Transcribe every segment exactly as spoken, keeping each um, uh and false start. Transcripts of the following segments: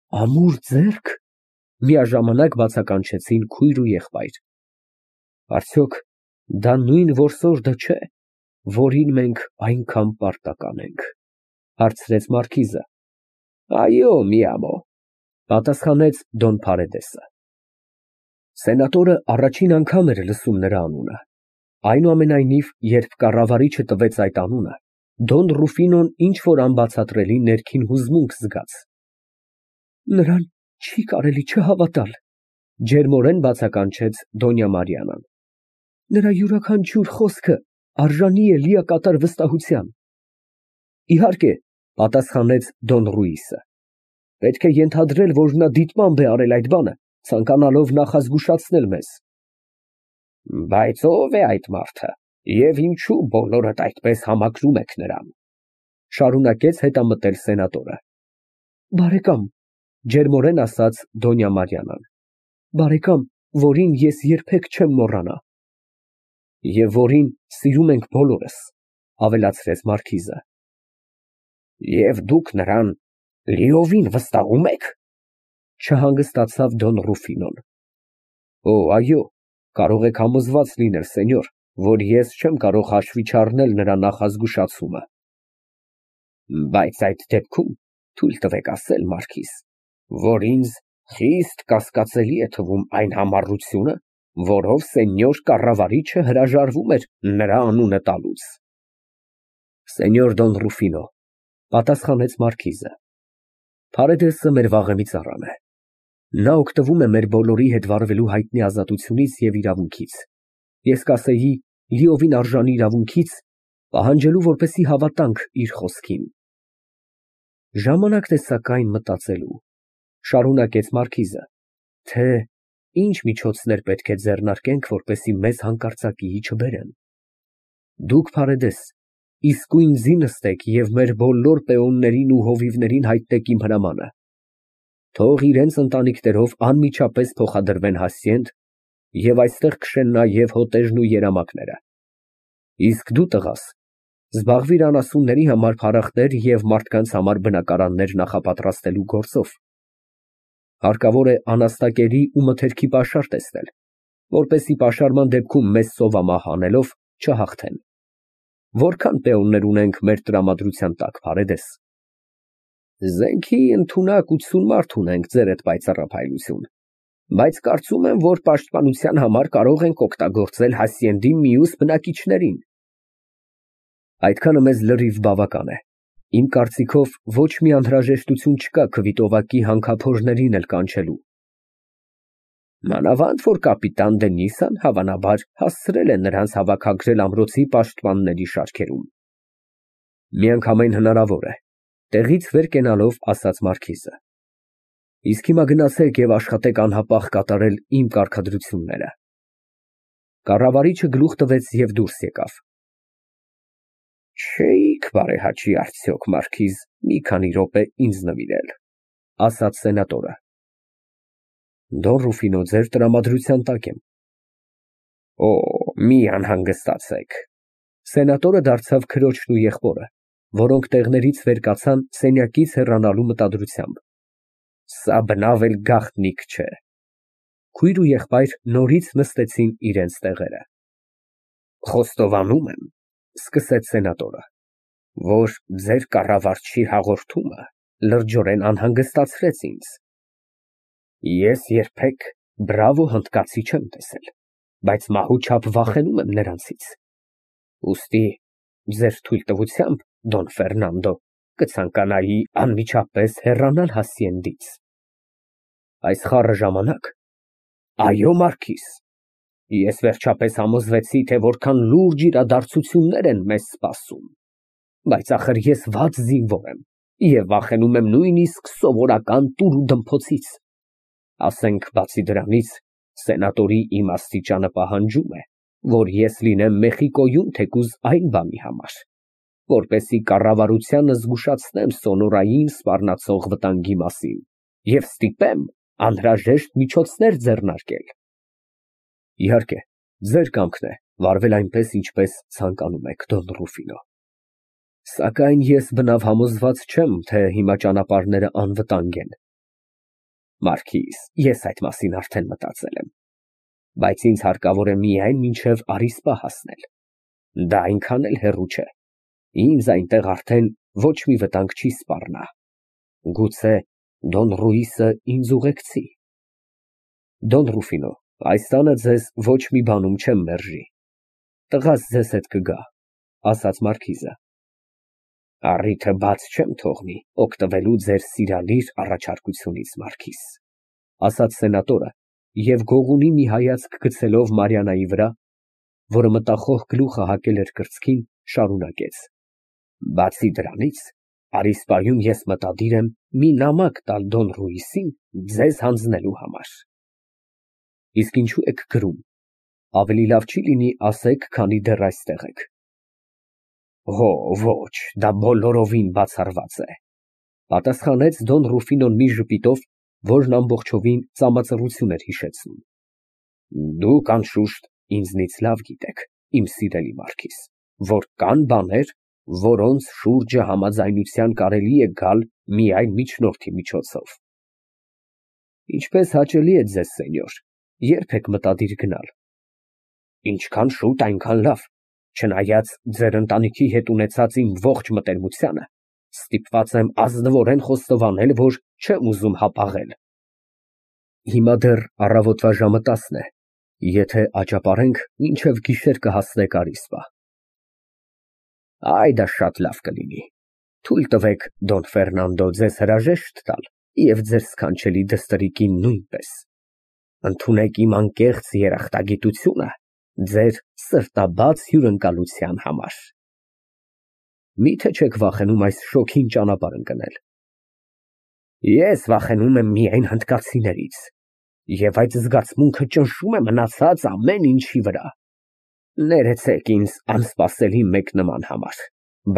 Ամուր ձեռք։ Միաժամանակ բացականչեցին քույր ու եղբայր։ Արդյոք դա նույն որսորդը չէ, որին մենք այնքան պարտական ենք, հարցրեց մարքիզը։ Այո, մի ամոթ, պատասխանեց Դոն Փարեդեսը։ Սենատորը առաջին անգամ էր լսում նրա անունը, այնուամենայնիվ, երբ կառավարիչը տվեց այդ անունը, Դոն Ռուֆինոն ինչ֊որ անբացատրելի ներքին հուզմունք զգաց։ Նրան չի կարելի չհավատալ, ջերմորեն բացականչեց Դոնյա Մարիանան։ Նրա յուրաքանչյուր խոսքը արժանի է լիակատար վստահության։ Իհարկե, պատասխանեց Դոն Ռուիսը, պետք է ենթադրել, որ նա դիտմամբ է արել այդ բանը, ցանկանալով նախազգուշացնել մեզ։ Բայց ո՞վ է այդ մարդը, և ինչու բոլորդ այդպես համակրում եք նրան, շարունակեց հետամտել սենատորը։ Բարեկամ, ջերմորեն ասաց Դոնյա Մարիանան, բարեկամ, որին ես երբեք չեմ մոռանա։ Եվ որին սիրում ենք բոլորս, ավելացրեց մարքիզը։ Եվ դուք նրան լիովին վստահում եք, չհանգստացավ Դոն Ռուֆինոն։ Օ, այո, կարող եք համոզված լինել, սենյոր, որ ես չեմ կարող հաշվի չառնել նրա նախազգուշացումը։ Բայց այդ դեպքում թույլ տվեք ասել, մարքիզ, որ ինձ խիստ կասկածելի է թվում այն համառությունը, որով սենյոր կառավարիչը հրաժարվում էր նրա անունը տալուց։ Սենյոր Դոն Ռուֆինո, պատասխանեց մարքիզը, Փարեդեսը մեր վաղեմի ծառան է։ Նա օգտվում է մեր բոլորի հետ վարվելու հայտնի ազատությունից և իրավունքից, ես կասեի լիովին արժանի իրավունքից, պահանջելու, որպեսզի հավատանք իր խոսքին։ Ժամանակն է սակայն մտածելու, շարունակեց մարքիզը, թե ինչ միջոցներ պետք է ձեռնարկենք, որպեսզի մեզ հանկարծակիի չբերեն։ Դուք, Փարեդես, իսկույն զի նստեք և մեր բոլոր պեոններին ու հովիվներին հայտնեք իմ հրամանը։ Թող իրենց ընտանիքներով անմիջապես փոխադրվեն Հասցենտ և այստեղ քշեն նաև հոտերն ու երամակները։ Իսկ դու, տղաս, զբաղվիր անասունների համար փարախներ և մարդկանց համար բնակարաններ նախապատրաստելու գործով։ Հարկավոր է անաստակերի ու մթերքի պաշար տեսնել, որպեսզի պաշարման դեպքում մեզ սովամահ անելով չհաղթեն։ Որքան պեոններ ունենք մեր տրամադրության տակ, Փարեդես։ Զենքի ընդունակ ութսուն մարդ ունենք, ձերդ պայծառափայլություն, բայց կարծում եմ, որ պաշտպանության համար կարող ենք օգտագործել Հասցենդի մյուս բնակիչներին։ Այդքանը մեզ լրիվ բավական է։ Իմ կարծիքով ոչ մի անհրաժեշտություն չկա քվիտովակի հանքափորներին էլ կանչելու։ Մանավանդ, որ կապիտան Դենիսան հավանաբար հասցրել է նրանց հավաքագրել ամրոցի պաշտպանների շարքերում։ Միանգամայն հնարավոր է, տեղից վեր կենալով ասաց մարքիզը։ Իսկ հիմա գնացեք և աշխատեք անհապաղ կատարել իմ կարգադրությունները։ Կառավարիչը գլուխ տվեց և դուրս եկավ։ Չէիք բարեհաճի արդյոք, մարքիզ, մի քանի րոպե ինձ նվիրել, ասաց սենատորը։ Դոն Ռուֆինո, ձեր տրամադրության տակ եմ։ Օ, մի անհանգստացեք։ Սենատորը դարձավ քրոջն ու եղբորը, որոնք տեղներից վեր կացան սենյակից հեռանալու մտադրությամբ։ Սա բնավ էլ գաղտնիք չէ։ Քույր ու եղբայր նորից նստեցին իրենց տեղերը։ Խոստովանում եմ, սկսեց սենատորը, որ ձեր կառավարչի հաղորդումը լրջորեն անհանգստացրեց ինձ։ Ես երբեք բրավո հնդկացի չեմ տեսել, բայց մահու չափ վախենում եմ նրանցից։ Ուստի ձեր թույլտվությամբ, Դոն Ֆերնանդո, կցանկանայի անմիջապես հեռանալ Հասցենդից։ Այս խառը ժամանակ։ Այո, մարքիզ, ես վերջապես համոզվեցի, թե որքան լուրջ իրադարձություններ են մեզ սպասում, բայց ախր ես վատ զինվոր եմ և վախենում եմ նույնիսկ սովորական տուր ու դմփոցից։ Ասենք, բացի դրանից, սենատորի իմաստիճանը պահանջում է, որ ես լինեմ Մեխիկոյում թեկուզ այն բանի համար, որպեսզի կառավարությանը զգուշացնեմ սոնորային սպառնացող վտանգի մասին և ստիպեմ անհրաժեշտ միջոցներ ձեռնարկել։ Իհարկե, ձեր կամքն է վարվել այնպես, ինչպես ցանկանում եք, Դոն Ռուֆինո։ Սակայն ես բնավ համոզված չեմ, թե հիմա ճանապարհները անվտանգ են։ Մարքիզ, ես այդ մասին արդեն մտածել եմ, բայց ինձ հարկավոր է միայն մինչև Առիսպա հասնել, դա այնքան էլ հեռու չէ, ինձ այնտեղ արդեն ոչ մի վտանգ չի սպառնա, գուցե Դոն Ռուիսը ինձ ուղեկցի։ Դոն Ռուֆինո, այս տանը ձեզ ոչ մի բանում չեմ մերժի, տղաս ձեզ հետ կգա, ասաց մարքիզը։ Առիթը բաց չեմ թողնի օգտվելու ձեր սիրալիր առաջարկությունից, Մարքիզ, ասաց սենատորը և գողունի մի հայացք գցելով Մարիաննայի վրա, որը մտախոհ գլուխը հակել էր կրծքին, շարունակեց. Բացի դրանից, Առիսպայում ես մտադիր եմ մի նամակ տալ Դոն Ռուիսին ձեզ հանձնելու համար։ Իսկ ինչու եք գրում, ավելի լավ չի լինի ասեք, քանի դեռ այստեղ եք։ Հո, ոչ, դա բոլորովին բացառված է, պատասխանեց Դոն Ռուֆինոն մի ժպիտով, որն ամբողջովին ծամածռություն էր հիշեցնում։ Դուք անշուշտ ինձնից լավ գիտեք, իմ սիրելի Մարքիզ, որ կան բաներ, որոնց շուրջը համաձայնության կարելի է գալ միայն միջնորդի միջոցով։ Ինչպես հաճելի է ձեզ, սենյոր, երբ եք մտադիր գնալ։ Ինչքան շուտ, այնքան լավ, չնայած ձեր ընտանիքի հետ ունեցած իմ ողջ մտերմությանը, ստիպված եմ ազնվորեն խոստովանել, որ չեմ ուզում հապաղել։ Հիմա դեռ առավոտվա ժամը տասն է, եթե աճապարենք, մինչև գիշեր կհասնեք Առիսպա։ Այ դա շատ լավ կլինի, թույլ տվեք Դոն Ֆերնանդո ձեզ հրաժեշտ տալ և ձեր սքանչելի դստրիկին նույնպես, ընդունեք իմ անկեղծ երախտագիտությունը ձեր սրտաբաց հյուրընկալության համար։ Միթե չեք վախենում այս շոգին ճանապարհ ընկնել։ Ես վախենում եմ միայն հնդկացիներից, և այդ զգացմունքը ճնշում է մնացած ամեն ինչի վրա։ Ներեցեք ինձ անսպասելի մեկնման համար,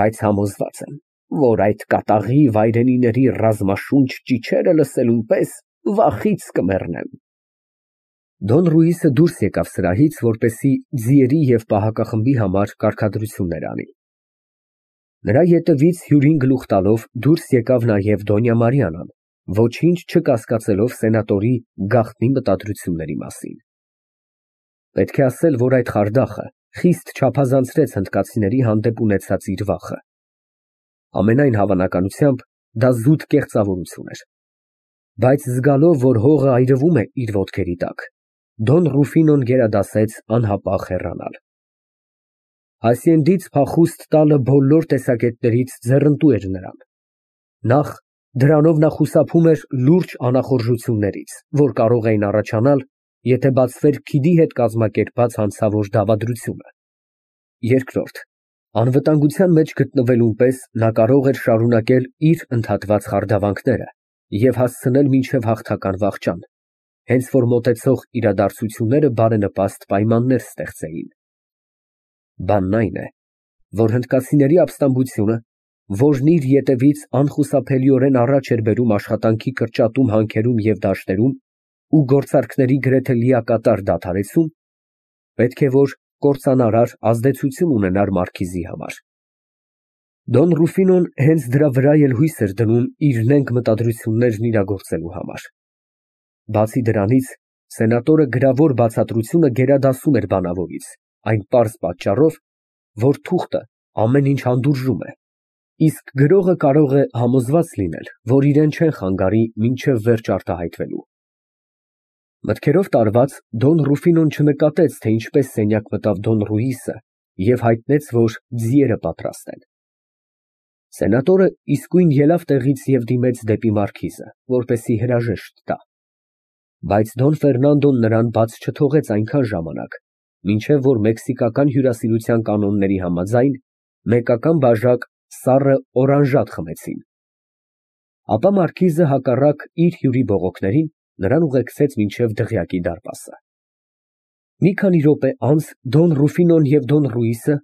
բայց համոզված եմ, որ այդ կատաղի վայրենիների ռազմաշունչ ճիչերը լսելուն պես վախից կմեռնեմ։ Դոն Ռուիսը դուրս եկավ սրահից, որպեսզի ձիերի և պահակախմբի համար կարգադրություններ անի։ Նրա ետևից հյուրին գլուխ տալով դուրս եկավ նաև Դոնյա Մարիաննան, ոչինչ չկասկածելով սենատորի գաղտնի մտադրությունների մասին։ Պետք է ասել, որ այդ խարդախը խիստ չափազանցրեց հնդկացիների հանդեպ ունեցած իր վախը։ Ամենայն հավանականությամբ դա զուտ կեղծավորություն էր։ Բայց զգալով, որ հողը այրվում է իր ոտքերի տակ, Դոն Ռուֆինոն գերադասեց անհապաղ հեռանալ։ Հասիենդից փախուստ տալը բոլոր տեսակետներից ձեռնտու էր նրան։ Նախ, դրանով նա խուսափում էր լուրջ անախորժություններից, որ կարող էին առաջանալ, եթե բացվեր քիդի հետ կազմակերպած հանցավոր դավադրությունը։ Երկրորդ, անվտանգության մեջ գտնվելուն պես նա կարող էր շարունակել իր ընդհատված խարդավանքները և հասցնել մինչև հաղթական վախճան, հենց որ մոտեցող իրադարձությունները բարենպաստ պայմաններ ստեղծեին։ Բանն այն է, որ հնդկացիների ապստամբությունը, որն իր ետևից անխուսափելիորեն առաջ էր բերում աշխատանքի կրճատում հանքերում և դաշտերում ու գործարքների գրեթե լիակատար դադարեցում, պետք է որ կործանարար ազդեցություն ունենար մարքիզի համար։ Դոն Ռուֆինոն հենց դրա վրա էլ հույս էր դնում իր նենգ մտադրություններն իրագործելու համար։ Բացի դրանից, սենատորը գրավոր բացատրությունը գերադասում էր բանավորից, այն պարզ պատճառով, որ թուղթը ամեն ինչ հանդուրժում է, իսկ գրողը կարող է համոզված լինել, որ իրեն չեն խանգարի մինչև վերջ արտահայտվելու։ Մտքերով տարված, Դոն Ռուֆինոն չնկատեց, թե ինչպես սենյակ մտավ Դոն Ռուիսը և հայտնեց, որ ձիերը պատրաստ են։ Սենատորը իսկույն ելավ տեղից և դիմեց դեպի մարքիզը, որպեսզի հրաժեշտ տա։ Բայց Դոն Ֆերնանդոն նրան բաց չթողեց այնքան ժամանակ, մինչև որ մեքսիկական հյուրասիրության կանոնների համաձայն մեկական բաժակ սառը օրանժատ խմեցին։ Ապա մարքիզը հակառակ իր հյուրի բողոքներին նրան ուղեկցեց մինչև դղյակի դարպասը։ Մի քանի րոպե անց Դոն Ռուֆինոն և Դոն Ռուիսը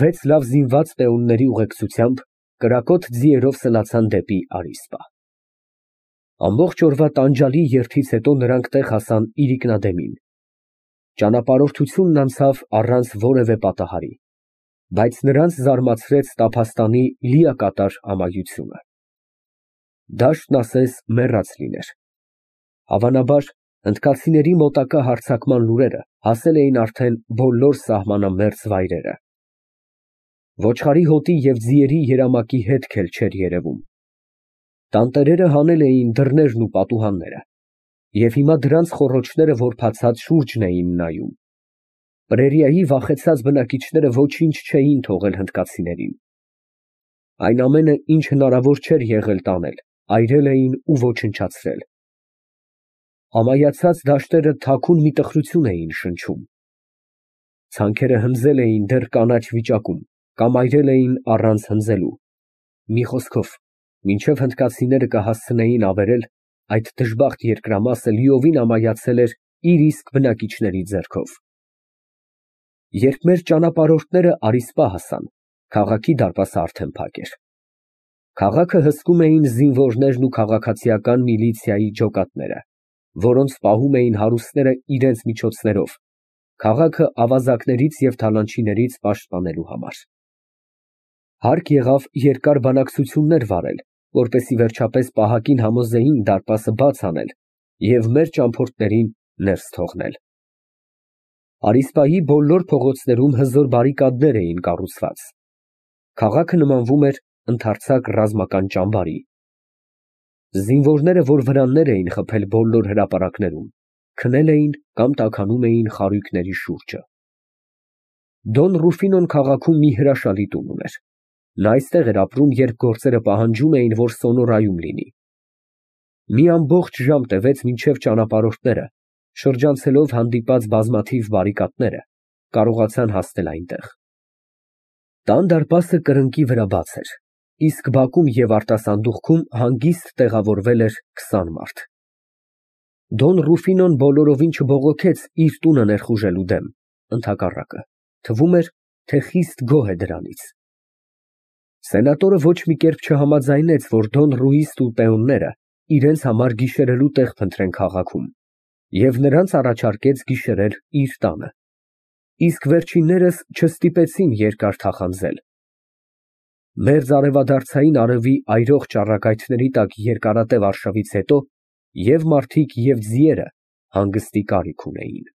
վեց լավ զինված պեոնների ուղեկցությամբ կրակոտ ձիերով սլացան դեպի Առիսպա։ Ամբողջ օրվա տանջալի երթից հետո նրանք տեղ հասան իրիկնադեմին։ Ճանապարհորդությունն անցավ առանց որևէ պատահարի, բայց նրանց զարմացրեց տափաստանի լիակատար ամայությունը։ Դաշտն ասես մեռած լիներ։ Հավանաբար, հնդկացիների մոտակա հարձակման լուրերը հասել էին արդեն բոլոր սահմանամերձ վայրերը։ Ոչխարի հոտի և ձիերի երամակի հետք էլ չէր երևում։ Տանտերերը հանել էին դռներն ու պատուհանները, և հիմա դրանց խոռոչները որբացած շուրջն էին նայում։ Պրերիայի վախեցած բնակիչները ոչինչ չէին թողել հնդկացիներին։ Այն ամենը, ինչ հնարավոր չէր եղել տանել, այրել էին ու ոչնչացրել։ Ամայացած դաշտերը թաքուն մի տխրություն էին շնչում։ Ցանքերը հնձել էին դեռ կանաչ վիճակում կամ այրել էին առանց հնձելու։ Մի խոսքով, մինչև հնդկացիները կհասցնեին ավերել, այդ դժբախտ երկրամասը լիովին ամայացել էր իր իսկ բնակիչների ձեռքով։ Երբ մեր ճանապարհորդները առիսպա հասան, քաղաքի դարպասը արդեն փակ էր։ Քաղաքը հսկում էին զինվորներն ու քաղաքացիական միլիցիայի ջոկատները, որոնց պահում էին հարուստները իրենց միջոցներով, քաղաքը ավազակներից և թալանչիներից պաշտպանելու համար։ Հարկ եղավ երկար բանակցություններ վարել, որպեսզի վերջապես պահակին համոզեին դարպասը բաց անել և մեր ճամփորդներին ներս թողնել։ Առիսպայի բոլոր փողոցներում հզոր բարիկադներ էին կառուցված։ Քաղաքը նմանվում էր ընդարձակ ռազմական ճամբարի։ Զինվորները, որ վրաններ էին խփել բոլոր հրապարակներում, քնել էին կամ տաքանում էին խարույկների շուրջը։ Դոն Ռուֆինոն քաղաքում մի հրաշալի տուն ուներ։ Նա այստեղ էր ապրում, երբ գործերը պահանջում էին, որ սոնորայում լինի։ Մի ամբողջ ժամ տևեց, մինչև ճանապարհորդները, շրջանցելով հանդիպած բազմաթիվ բարիկադները, կարողացան հասնել այնտեղ։ Տան դարպասը կրկնակի վրա բաց էր, իսկ բակում և արտասանդուղքում հանգիստ տեղավորվել էր քսան մարդ։ Դոն Ռուֆինոն բոլորովին չբողոքեց իր տունը ներխուժելու դեմ, ընդհակառակը, թվում էր, թե խիստ գոհ է դրանից։ Սենատորը ոչ մի կերպ չհամաձայնեց, որ Դոն Ռուիսն ու պեոնները իրենց համար գիշերելու տեղ փնտրեն քաղաքում, և նրանց առաջարկեց գիշերել իր տանը, իսկ վերջիններս չստիպեցին երկար թախանձել։ Մերձարևադարձային արևի այրող ճառագայթների տակ երկարատև արշավից հետո և մարդիկ, և ձիերը հանգստի կարիք ունեին։